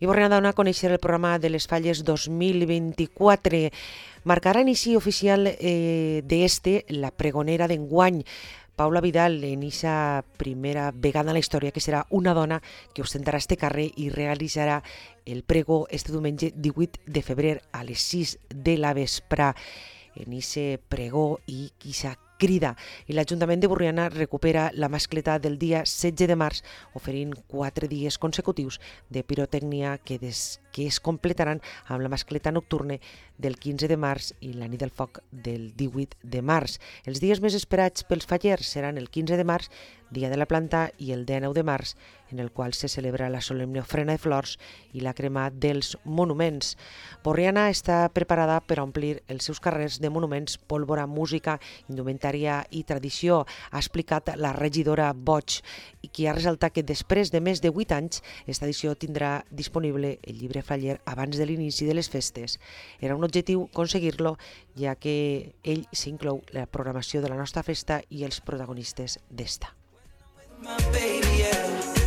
I Borriana dona a conèixer el programa de les Falles 2024. Marcarà inici oficial d'este la pregonera d'enguany. Paula Vidal, en eixa primera vegada en la història, que serà una dona que ostentarà este carrer i realitzarà el pregó este diumenge 18 de febrer a les 6 de la vespra. En eixe pregó i eixa crida. I l'Ajuntament de Borriana recupera la mascleta del dia 16 de març, oferint 4 dies consecutius de pirotècnia que es completaran amb la mascleta nocturna del 15 de març i la nit del foc del 18 de març. Els dies més esperats pels fallers seran el 15 de març, dia de la planta, i el 19 de març, en el qual se celebra la solemne ofrena de flors i la crema dels monuments. Borriana està preparada per a omplir els seus carrers de monuments, pólvora, música, indumentària i tradició, ha explicat la regidora Boig, i qui ha ressaltat que després de més de 8 anys esta edició tindrà disponible el llibre faller abans de l'inici de les festes. Era un objectiu aconseguir-lo, ja que ell s'inclou la programació de la nostra festa i els protagonistes d'esta. My baby, yeah.